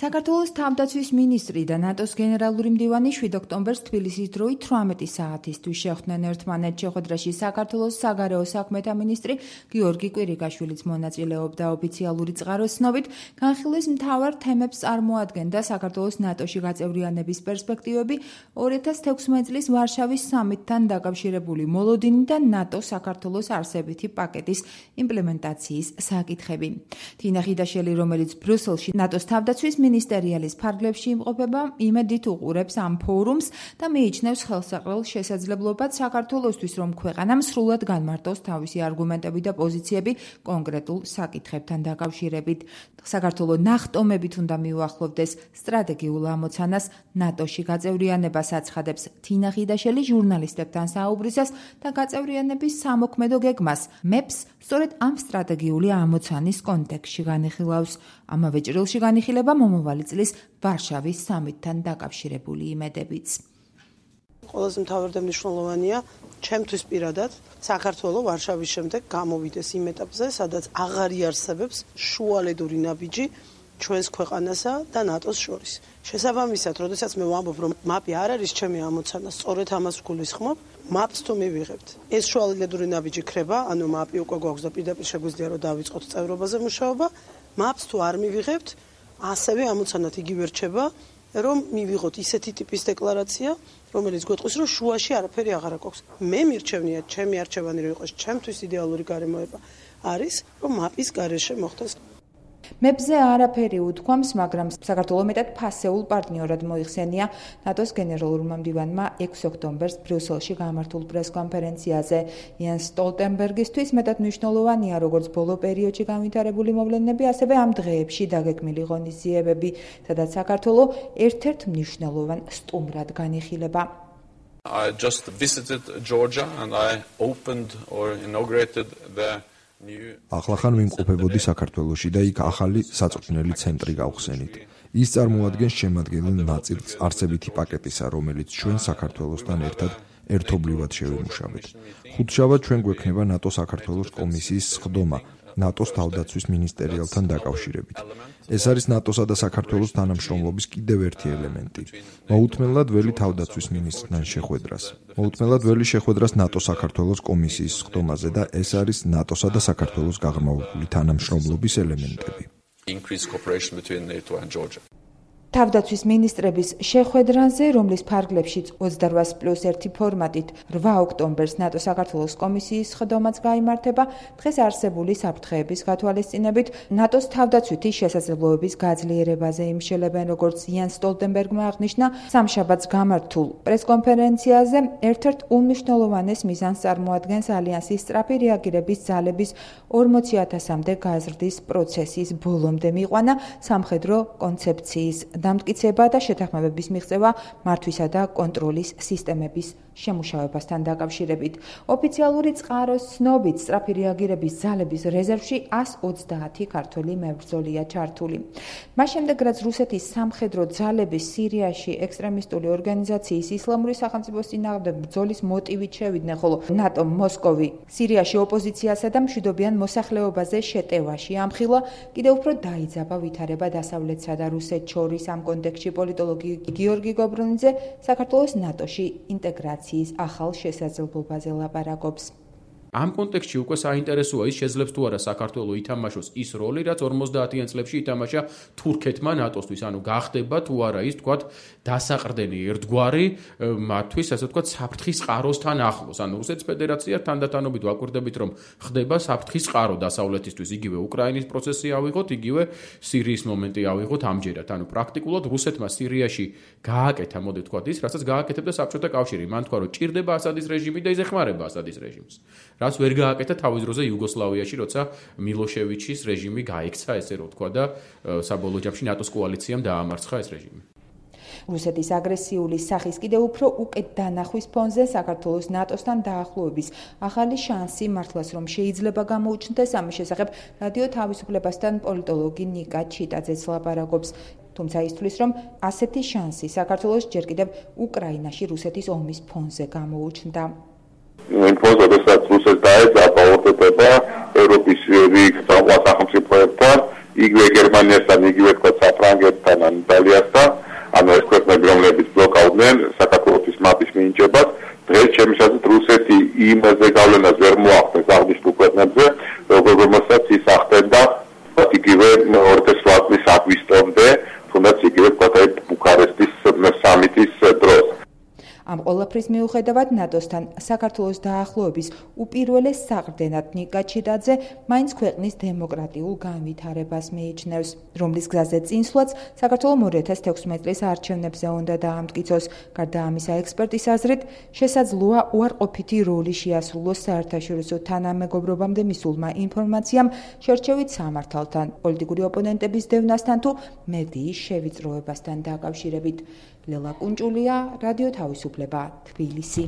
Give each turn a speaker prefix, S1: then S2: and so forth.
S1: საქართველოს თავდაცვის მინისტრი და ნატოს გენერალური მდივანი 7 ოქტომბერს თბილისის დროით 18 საათისთვის შეხვდნენ ერთმანეთს. შეხვედრაში საქართველოს საგარეო საქმეთა მინისტრი გიორგი კვირიკაშვილიც მონაწილეობდა. ოფიციალური წყაროს ცნობით, განხილვის მთავარ თემებს წარმოადგენდა საქართველოს ნატოში გაწევრიანების პერსპექტივები, 2016 წლის ვარშავის სამიტთან დაკავშირებული მოლოდინი და ნატო-საქართველოს არსებითი პაკეტის იმპლემენტაციის საკითხები. თინა ხიდაშელი, რომელიც ბრიუსელში ნატოს თავდაცვის მინისტერიალის ფარგლებში იმყოფება, იმედით უყურებს ამ ფორუმს და მიიჩნევს ხელსაყრელ შესაძლებლობად საქართველოსთვის, რომ ქვეყანამ სრულად განმარტოს თავისი არგუმენტები და პოზიციები კონკრეტულ საკითხებთან დაკავშირებით. საქართველო ნახტომებით უნდა მიუახლოვდეს სტრატეგიულ ამოცანას ნატოში გაწევრიანებას აცხადებს თინა ხიდაშელი ჟურნალისტებთან საუბრისას და გაწევრიანების სამოქმედო გეგმას მეფს სწორედ ამ სტრატეგიული ამოცანის კონტექსტში განიხილავს. ამავე ჭრილში განიხილება მომავალი წლის ვარშავის სამიტთან დაკავშირებული იმედებიც.
S2: ყველაზე მთავარი და მნიშვნელოვანია ჩემთვის პირადად საქართველოს ვარშავის შემდეგ გამოვიდეს იმ ეტაპზე, სადაც აღარ იარსებებს შუალედური ნაბიჯი ჩვენს ქვეყანასა და ნატოს შორის. შესაბამისად, როდესაც მე ვამბობ, რომ მაპი არ არის ჩემი ამოცანა, სწორედ ამას გულისხმობ, მაპს თუ მივიღებთ. ეს შუალედური ნაბიჯი ქრება, ანუ მაპი უკვე გვაქვს და პირდაპირ შეგვიძლია რომ დავიწყოთ წევრობაზე მუშაობა. მაპს თუ არ მივიღებთ, ასევე ამოცანად იგივე რჩება, რომ მივიღოთ ისეთი ტიპის დეკლარაცია, რომელიც გვეტყვის, რომ შუაში არაფერი აღარ აქვს. მე მირჩევნია, ჩემი არჩევანი რომ იყოს, ჩემთვის იდეალური გარემოება არის, რომ მაპის გარეშე მოხდეს.
S1: მეფზე არაფერი უთქვამს, მაგრამ საქართველოს მეტად ფასეულ პარტნიორად მოიხსენია ნატოს გენერალურმა მდივანმა 6 ოქტომბერს ბრიუსელში გამართულ პრესკონფერენციაზე. იანს სტოლტენბერგისთვის მეტად მნიშვნელოვანია როგორც ბოლო პერიოდში განვითარებული მოვლენები, ასევე ამ დღეებში დაგეგმილი ღონისძიებები, სადაც საქართველო ერთ-ერთ მნიშვნელოვან სტუმრად განიხილება.
S3: I just visited Georgia and I opened or inaugurated the
S4: ახლახან ვიმყოფებოდი საქართველოში და იქ ახალი საწვრთნელი ცენტრი გავხსენით. ის წარმოადგენს შემადგენელ ნაწილს არსებითი პაკეტისა, რომელიც ჩვენ საქართველოსთან ერთად ერთობლივად შევიმუშავეთ. ხუთშაბათ ჩვენ გვექნება ნატო-საქართველოს კომისიის სხდომა ნატოს თავდაცვის მინისტერიალთან დაკავშირებით. ეს არის ნატოსა და საქართველოს თანამშრომლობის კიდევ ერთი ელემენტი. მოუთმენლად ველი თავდაცვის მინისტრთან შეხვედრას. მოუთმენლად ველი შეხვედრას ნატო-საქართველოს კომისიის სხდომაზე და ეს არის ნატოსა და საქართველოს გაღრმავებული თანამშრომლობის ელემენტები.
S3: Increased cooperation between NATO and Georgia.
S1: თავდაცვის მინისტრების შეხვედრაზე, რომლის ფარგლებშიც 28+1 ფორმატით 8 ოქტომბერს ნატო-საქართველოს კომისიის სხდომაც გაიმართება, დღეს არსებული საფრთხეების გათვალისწინებით ნატოს თავდაცვითი შესაძლებლობების გაძლიერებაზე იმშელებენ, როგორც იანს სტოლტენბერგმა აღნიშნა სამშაბათს გამართულ პრესკონფერენციაზე. ერთ-ერთ უმნიშვნელოვანეს მიზანს წარმოადგენს ალიანსის სწრაფი რეაგირების ძალების 40,000-მდე გაზრდის პროცესის ბოლომდე მიყვანა სამხედრო კონცეფციის დამტკიცება და შეთანხმებების მიღწევა მართვისა და კონტროლის სისტემების შემუშავებასთან დაკავშირებით. ოფიციალური წყაროს ცნობით, სწრაფი რეაგირების ძალების რეზერვში 130 ქართველი მებრძოლია ჩართული. მას შემდეგ, რაც რუსეთის სამხედრო ძალები სირიაში ექსტრემისტული ორგანიზაციის ისლამური სახელმწიფოს წინააღმდეგ ბრძოლის მოტივით შევიდნენ, ხოლო ნატო მოსკოვი სირიაში ოპოზიციასა და მშვიდობიან მოსახლეობაზე შეტევაში ამხილა, კიდევ უფრო დაიძაბა ვითარება დასავლეთსა და რუსეთს შორის. ამ კონტექსტში პოლიტოლოგი გიორგი გობრონიძე საქართველოს ნატოში ინტეგრაციის ახალ შესაძლებლობაზე ლაპარაკობს.
S5: ამ კონტექსტში უკვე საინტერესოა ის შეძლებს თუ არა საქართველოს ითამაშოს ის როლი, რაც 50-იან წლებში ითამაშა თურქეთმა ნატოსთვის, ანუ გახდება თუ არა ის თქვათ დასაყრდენი ერთგვარი მათთვის, ასე ვთქვათ, საფრთხის წყაროსთან ახლოს. ანუ რუსეთის ფედერაცია თანდათანობით ვაკვირდებით, რომ ხდება საფრთხის წყარო დასავლეთისთვის, იგივე უკრაინის პროცესი ავიღოთ, იგივე სირიის მომენტი ავიღოთ ამჯერად. ანუ პრაქტიკულად რუსეთმა სირიაში გააკეთა, მოდი ვთქვათ, ის, რასაც გააკეთებდა საბჭოთა კავშირი. მან თქვა, რომ ჭირდება ასადის რეჟიმი და ის ეხმარება ასადის რეჟიმს. რაც ვერ გააკეთა თავის დროზე იუგოსლავიაში, როცა მილოშევიჩის რეჟიმი გაიქცა, ესე რომ ვთქვა და საბოლოო ჯამში ნატოს კოალიციამ დაამარცხა ეს რეჟიმი.
S1: რუსეთის აგრესიული სახის კიდევ უფრო უკეთ დანახვის ფონზე საქართველოს ნატოსთან დაახლოების ახალი შანსი მართლაც რომ შეიძლება გამოუჩნდეს, ამის შესახებ რადიო თავისუფლებასთან პოლიტოლოგი ნიკა ჩიტაძეც ლაპარაკობს. თუმცა ისთვის, რომ ასეთი შანსი საქართველოს ჯერ კიდევ უკრაინაში რუსეთის ომის ფონზე გამოუჩნდა.
S6: როდესაც რუსეთს დაეძაბა որդება ევროპის რიგ სახელმწიფოებთან იგივე გერმანიასთან, იგივე თქვა საფრანგეთთან, ან იტალიასთან, ანუ ეს ქვეყნები, რომლებიც ბლოკავდნენ საქართველოს მაპის მინიჭებას, დღეს ჩემი აზრით რუსეთი იმაზე გავლენას ვერ მოახდენს აღნიშნულ ქვეყნებზე, როგორმაც ის ახდენდა იგივე 2008 აგვისტომდე, თუნდაც იგივე თქვა ბუქარესტის სამიტის დროს.
S1: ამ ყველაფრის მიუხედავად ნატოსთან საქართველოს დაახლოების უპირველეს საყრდენად ნიკა ჩიდაძე მაინც ქვეყნის დემოკრატიულ განვითარებას მიიჩნევს, რომლის გზაზე წინსვლაც საქართველოს 2016 წლის არჩევნებზე უნდა დაამტკიცოს. გარდა ამისა, ექსპერტის აზრით, შესაძლოა უარყოფითი როლი შეასრულოს საერთაშორისო თანამეგობრობამდე მისულმა ინფორმაციამ შერჩევით სამართალთან, პოლიტიკური ოპონენტების დევნასთან თუ მედიის შევიწროებასთან დაკავშირებით. ლელა კუნჭულია, რადიო თავისუფლება, თბილისი.